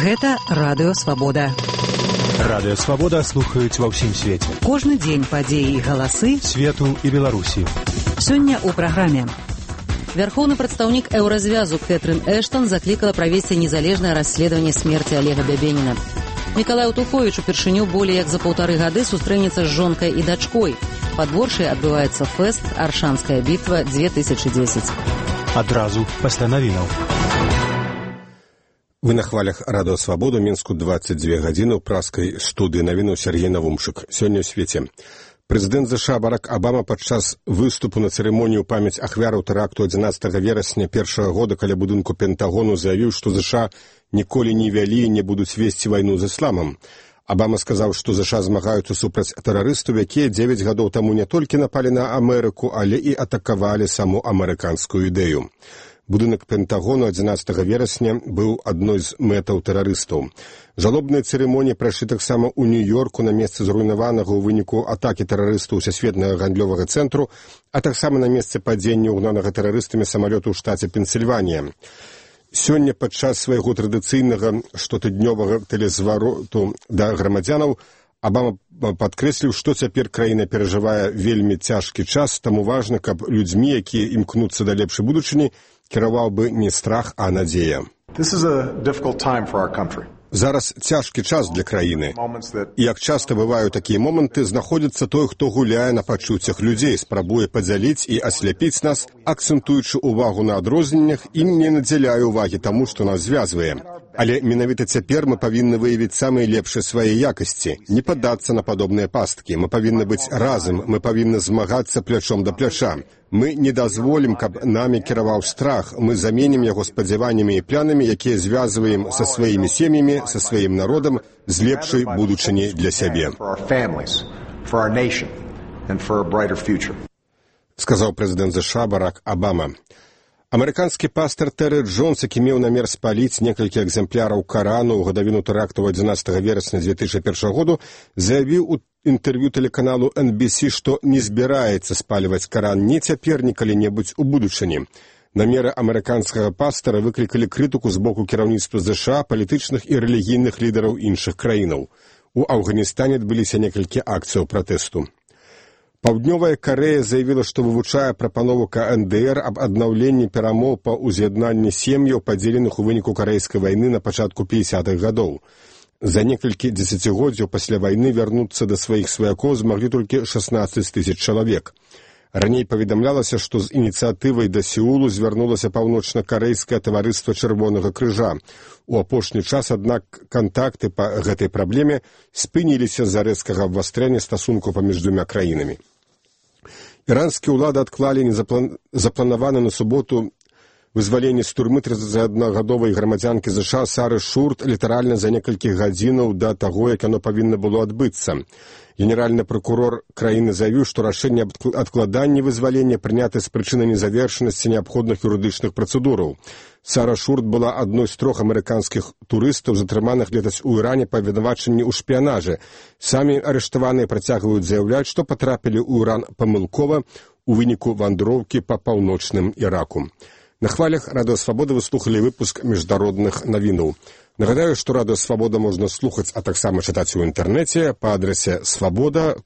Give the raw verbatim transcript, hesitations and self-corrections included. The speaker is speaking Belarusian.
Гэта Радыё Свабода. Радыё Свабода слухаюць ва ўсім свеце. Кожны дзень падзеі і галасы свету і Беларусі. Сёння ў праграме. Вярхоўны прадстаўнік еўразвязу Кэтрын Эштон заклікала правесці незалежнае расследаванне смерці Олега Бябеніна. Мікалай Утуховіч упершыню болей як за паўтары гады сустрэнецца з жонкай і дачкой. Пад Воршай адбываецца фэст «Аршанская бітва две тысячи десять». Адразу пасля навінаў. Вы на хвалях Радыё Свабода, Мінску двадцать две гадзіны ў праскай студыі навінаў Сергей Навумшык. Сёння ў свеце. Прэзідэнт ЗША Барак Абама падчас выступу на цырымонію памяць ахвяраў тэракту адзінаццатага верасня першага года каля будынку Пентагону заявіў, што ЗША ніколі не вялі і не будуць весці вайну з ісламам. Абама сказаў, што ЗША змагаюцца супраць тэрарыстаў, якія дзевяць гадоў таму не толькі напалі на Амерыку, але і атакавалі саму амерыканскую ідэю. Будынак Пентагону адзінаццатага верасня быў адной з мэтаў тэрарыстаў. Жалобныя цырымоніі прайшлі таксама ў Нью-Йорку на месцы зруйнаванага ў выніку атакі тэрарыстаў Сусветнага гандлёвага цэнтру, а таксама на месцы падзення ўгнанага тэрарыстамі самалёту ў штаце Пенсільванія. Сёння падчас свайго традыцыйнага штотыднёвага тэлезвароту да грамадзянаў Абама падкрэсліў, што цяпер краіна перажывае вельмі цяжкі час, таму важна, каб людзьмі, якія імкнуцца да лепшай будучыні, кіраваў бы не страх, а надзея. Зараз цяжкі час для краіны. І як часта бываюць такія моманты, знаходзіцца той, хто гуляе на пачуццях людзей, спрабуе падзяліць і асляпіць нас, акцэнтуючы ўвагу на адрозненнях і не надзяляе ўвагі таму, што нас звязвае. Але менавіта цяпер мы павінны выявіць самыя лепшыя свае якасці, не паддацца на падобныя пасткі. Мы павінны быць разам, мы павінны змагацца плячом да пляча. Мы не дазволім, каб намі кіраваў страх. Мы заменім яго спадзяваннямі і планамі, якія звязваем са сваімі сем'ямі, са сваім народам, з лепшай будучыні для сябе. Сказаў прэзідэнт ЗША Барак Абама. Амерыканскі пастор Тэры Джонс, які меў намер спаліць некалькі экземпляраў Карану ў гадавіну тэракту адзінаццатага верасня две тысячи першага году, заявіў у інтэрв'ю тэлеканалу эн би си, што не збіраецца спальваць Каран ні цяпер, ні калі-небудзь у будучыні. Намеры амерыканскага пастора выклікалі крытыку з боку кіраўніцтва ЗША, палітычных і рэлігійных лідараў іншых краінаў. У Афганістане адбыліся некалькі акцыяў пратэсту. Паўднёвая Карэя заявіла, што вывучае прапанову ка эн дэ эр аб аднаўленні перамоў па ўз'яднанні сем'яў, падзеленых у выніку карэйскай вайны на пачатку пятидесятых гадоў. За некалькі дзесяцігоддзяў пасля вайны вярнуцца да сваіх сваякоў змаглі толькі шаснаццаць тысяч чалавек. Раней паведамлялася, што з ініцыятывай да Сеулу звярнулася паўночна-карэйскае таварыства Чырвонага крыжа. У апошні час, аднак, кантакты па гэтай праблеме спыніліся з-за рэзкага абвастрэння стасункаў паміж двума краінамі. Іранскія ўлады адклалі незаплан... запланаваны на суботу вызваленне з турмы трыццатиаднагадовай грамадзянкі ЗША Сары Шурт літаральна за некалькі гадзінаў да таго, як яно павінна было адбыцца. Генеральны прокурор краіны заявіў, што рашэнне аб адкладанні вызвалення прынята з прычыны незавершанасці неабходных юрыдычных працэдураў. Сара Шурт была адной з трох амерыканскіх турыстаў, затрыманых летась у Іране па абвінавачанні ў шпіянажы. Самі арыштаваныя працягваюць заяўляць, што патрапілі ў Іран памылкова у выніку вандроўкі па паўночным Іраку. На хвалях Радыё Свабода вы слухалі выпуск міжнародных навінаў. Нагадаю, што Радыё Свабода можна слухаць, а таксама чытаць у інтэрнэце па адрасе свабода